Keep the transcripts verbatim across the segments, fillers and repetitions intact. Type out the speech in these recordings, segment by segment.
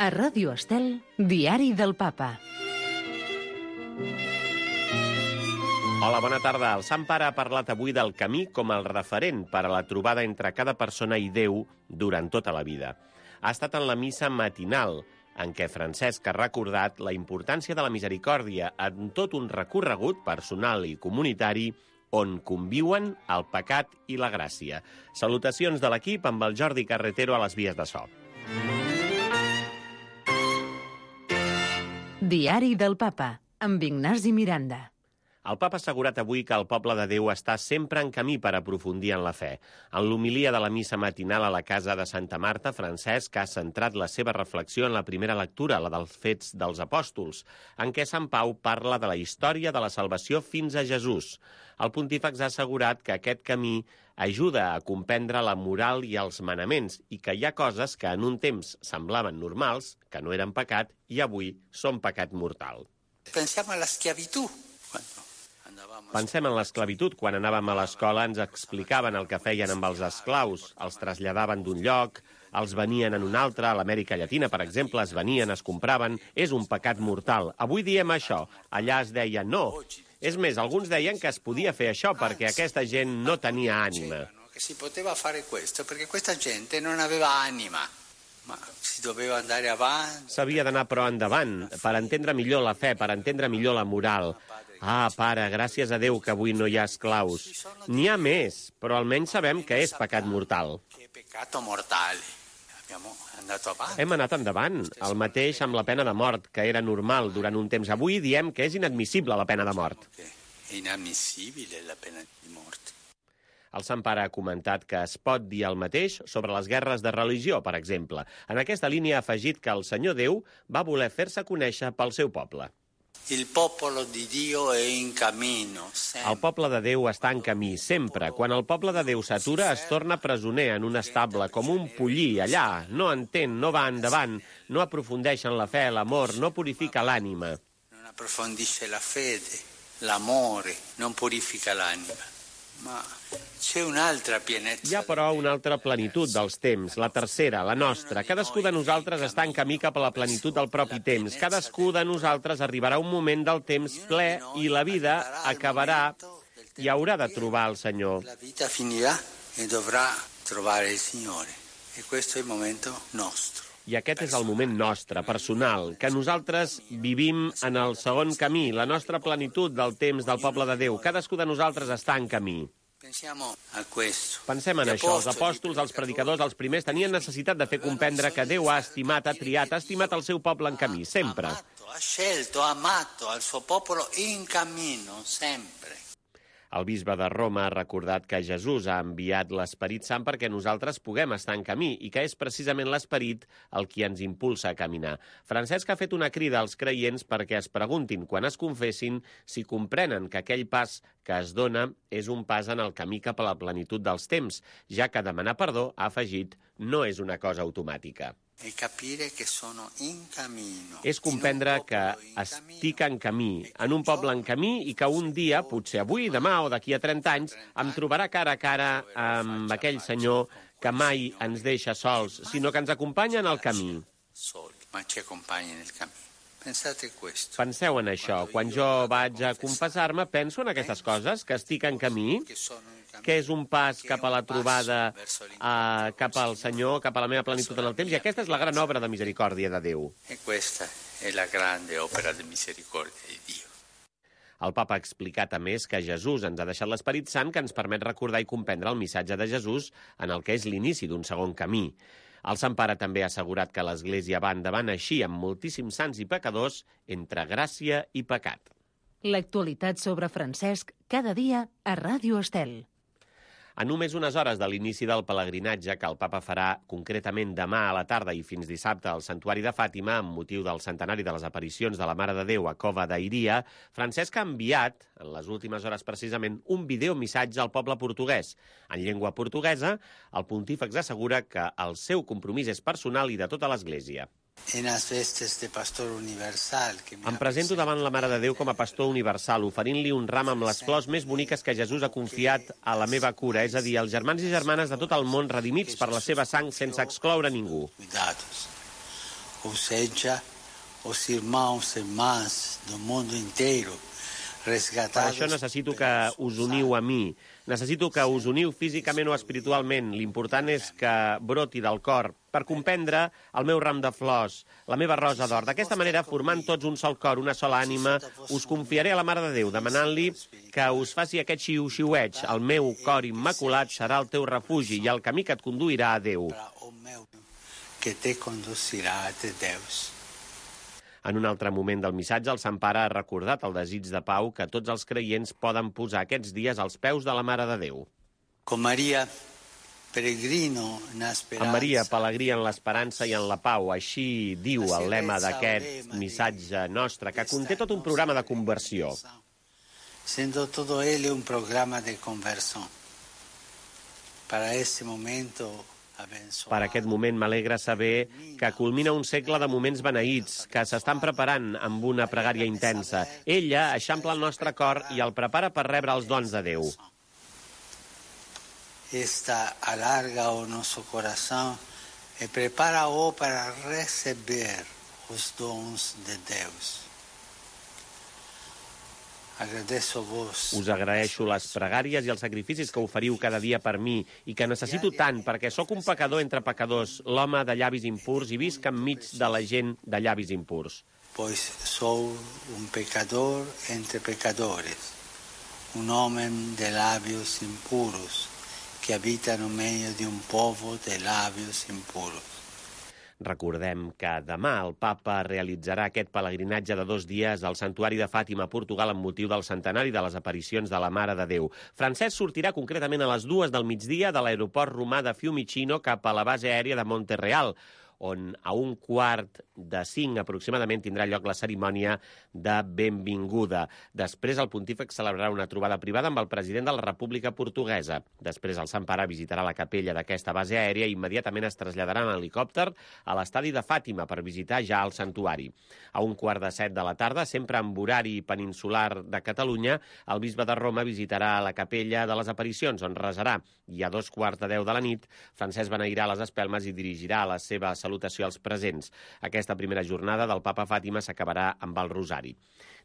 A Ràdio Estel, Diari del Papa. Hola, bona tarda. El Sant Pare ha parlat avui del camí com el referent per a la trobada entre cada persona i Déu durant tota la vida. Ha estat en la missa matinal, en què Francesc ha recordat la importància de la misericòrdia en tot un recorregut personal i comunitari on conviuen el pecat i la gràcia. Salutacions de l'equip amb el Jordi Carretero a les vies de so. Diari del Papa, amb Ignasi Miranda. El Papa ha assegurat avui que el poble de Déu està sempre en camí per aprofundir en la fe. En l'homilia de la missa matinal a la casa de Santa Marta, Francesc ha centrat la seva reflexió en la primera lectura, la dels Fets dels Apòstols, en què Sant Pau parla de la història de la salvació fins a Jesús. El pontífex ha assegurat que aquest camí ajuda a comprendre la moral i els manaments i que hi ha coses que en un temps semblaven normals, que no eren pecat, i avui són pecat mortal. Pensem a l'esclavitud. Pensem en l'esclavitud. Quan anàvem a l'escola ens explicaven el que feien amb els esclaus. Els traslladaven d'un lloc, els venien en un altre. A l'Amèrica Llatina, per exemple, es venien, es compraven. És un pecat mortal. Avui diem això. Allà es deia no. És més, alguns deien que es podia fer això perquè aquesta gent no tenia ànima. Que si poteva fare questo perché questa gente non aveva anima. Ma si doveva andare avanti. S'havia d'anar però endavant, per entendre millor la fe, per entendre millor la moral. Ah, pare, gràcies a Déu que avui no hi ha esclaus. N'hi ha més, però almenys sabem que és pecat mortal. Que peccato mortale. Abbiamo andato avanti. Hem anat endavant, el mateix amb la pena de mort, que era normal durant un temps. Avui diem que és inadmissible la pena de mort. È inammissibile la pena di morte. El Sant Pare ha comentat que es pot dir el mateix sobre les guerres de religió, per exemple. En aquesta línia ha afegit que el Senyor Déu va voler fer-se conèixer pel seu poble. Il popolo di Dio è in cammino. El poble de Déu està en camí, sempre. Quan el poble de Déu s'atura, es torna presoner en un estable, com un pollí, allà. No entén, no va endavant, no aprofundeix en la fe, l'amor, no purifica l'ànima. Non approfondisce la fede, l'amore, non purifica l'anima. Ma c'è un'altra pienezza. Hi ha però una altra plenitud dels temps, la tercera, la nostra. Cadascú de nosaltres està en camí cap a la plenitud del propi temps. Cadascú de nosaltres arribarà un moment del temps ple i la vida acabarà i haurà de trobar el Senyor. La vita finirà e dovrà trovare il Signore. E questo è il momento nostro. I aquest és el moment nostre, personal, que nosaltres vivim en el segon camí, la nostra plenitud del temps del poble de Déu. Cadascú de nosaltres està en camí. Pensem en això. Els apòstols, els predicadors, els primers, tenien necessitat de fer comprendre que Déu ha estimat, ha triat, ha estimat el seu poble en camí, sempre. Ha scelto, ha amato al suo popolo in cammino, sempre. El bisbe de Roma ha recordat que Jesús ha enviat l'Esperit Sant perquè nosaltres puguem estar en camí i que és precisament l'Esperit el qui ens impulsa a caminar. Francesc ha fet una crida als creients perquè es preguntin, quan es confessin, si comprenen que aquell pas que es dona és un pas en el camí cap a la plenitud dels temps, ja que demanar perdó, ha afegit, no és una cosa automàtica. És comprendre que estic en camí, en un poble en camí i que un dia, potser avui, demà o d'aquí a trenta anys, em trobarà cara a cara amb aquell Senyor que mai ens deixa sols, sinó que ens acompanya en el camí. Penseu en això. Quan jo vaig a confessar-me, penso en aquestes coses, que estic en camí, que és un pas cap a la trobada, eh, cap al Senyor, cap a la meva plenitud en el temps, i aquesta és la gran obra de misericòrdia de Déu. E questa è la grande opera di misericordia di Dio. El Papa ha explicat, a més, que Jesús ens ha deixat l'Esperit Sant que ens permet recordar i comprendre el missatge de Jesús en el que és l'inici d'un segon camí. El Sant Pare també ha assegurat que l'Església va endavant així amb moltíssims sants i pecadors entre gràcia i pecat. L'actualitat sobre Francesc cada dia a Ràdio Estel. A només unes hores de l'inici del pelegrinatge que el Papa farà concretament demà a la tarda i fins dissabte al Santuari de Fàtima, amb motiu del centenari de les aparicions de la Mare de Déu a Cova d'Iria, Francesc ha enviat, en les últimes hores precisament, un videomissatge al poble portuguès. En llengua portuguesa, el pontífex assegura que el seu compromís és personal i de tota l'Església. Em presento davant la Mare de Déu com a pastor universal, oferint-li un ram amb les flors més boniques que Jesús ha confiat a la meva cura, és a dir, als germans i germanes de tot el món redimits per la seva sang sense excloure ningú. ou seja, os irmãos e irmãs do mundo inteiro, resgatados... Per això necessito que us uniu a mi. Necessito que us uniu físicament o espiritualment. L'important és que broti del cor per comprendre el meu ram de flors, la meva rosa d'or. D'aquesta manera, formant tots un sol cor, una sola ànima, us confiaré a la Mare de Déu, demanant-li que us faci aquest xiu-xiueig. El meu cor immaculat serà el teu refugi i el camí que et conduirà a Déu. Que te conduirà a Déus. En un altre moment del missatge, el Sant Pare ha recordat el desig de pau que tots els creients poden posar aquests dies als peus de la Mare de Déu. Com Maria, peregrino en esperança. En Maria, pelegrí en l'esperança i en la pau. Així diu el lema d'aquest missatge nostre, que conté tot un programa de conversió. Sendo todo él un programa de conversión. Para ese momento... Per aquest moment m'alegra saber que culmina un segle de moments beneïts, que s'estan preparant amb una pregària intensa. Ella eixampla el nostre cor i el prepara per rebre els dons de Déu. Esta alarga o nosso coração e prepara-o para receber os dons de Deus. Us agraeixo les pregàries i els sacrificis que oferiu cada dia per mi i que necessito tant perquè sóc un pecador entre pecadors, l'home de llavis impurs i visc enmig de la gent de llavis impurs. Pois sou un pecador entre pecadores, un home de labios impuros que habita no meio de un povo de labios impuros. Recordem que demà el papa realitzarà aquest pelegrinatge de dos dies al Santuari de Fàtima, a Portugal, amb motiu del centenari de les aparicions de la Mare de Déu. Francesc sortirà concretament a les dues del migdia de l'aeroport romà de Fiumicino cap a la base aèria de Monterreal, on a un quart de cinc aproximadament tindrà lloc la cerimònia de benvinguda. Després el pontífex celebrarà una trobada privada amb el president de la República Portuguesa. Després el Sant Pare visitarà la capella d'aquesta base aèria i immediatament es traslladarà en helicòpter a l'estadi de Fàtima per visitar ja el santuari. A un quart de set de la tarda, sempre amb horari peninsular de Catalunya, el bisbe de Roma visitarà la capella de les aparicions, on resarà. I a dos quarts de deu de la nit, Francesc beneirà les espelmes i dirigirà la seva salutació als presents. Aquesta primera jornada del Papa Fàtima s'acabarà amb el Rosari.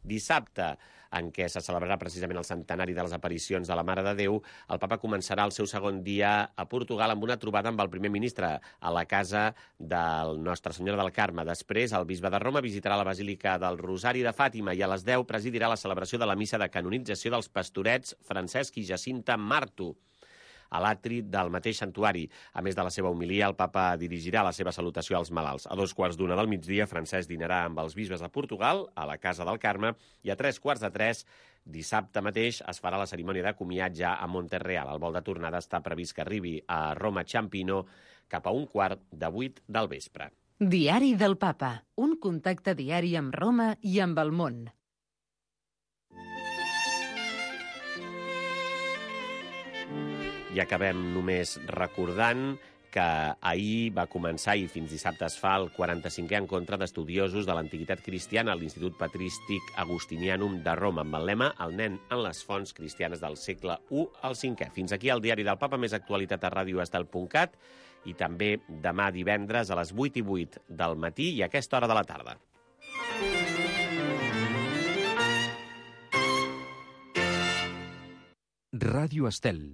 Dissabte, en què se celebrarà precisament el centenari de les aparicions de la Mare de Déu, el Papa començarà el seu segon dia a Portugal amb una trobada amb el primer ministre a la casa del Nostra Senyora del Carme. Després, el bisbe de Roma visitarà la Basílica del Rosari de Fàtima i a les deu presidirà la celebració de la missa de canonització dels pastorets Francesc i Jacinta Marto a l'atri del mateix santuari. A més de la seva homilia, el papa dirigirà la seva salutació als malalts. A dos quarts d'una del migdia, Francesc dinarà amb els bisbes de Portugal, a la Casa del Carme, i a tres quarts de tres, dissabte mateix, es farà la cerimònia de comiat ja a Monterreal. El vol de tornada està previst que arribi a Roma Ciampino cap a un quart de vuit del vespre. Diari del Papa, un contacte diari amb Roma i amb el món. I acabem només recordant que ahir va començar i fins dissabte es fa el quaranta-cinquè encontre d'estudiosos de l'antiguitat cristiana a l'Institut Patrístic Agustinianum de Roma, amb el lema El nen en les fonts cristianes del segle u al cinquè. Fins aquí el Diari del Papa, més actualitat a radio estel punt cat i també demà divendres a les vuit i vuit del matí i a aquesta hora de la tarda. Ràdio Estel.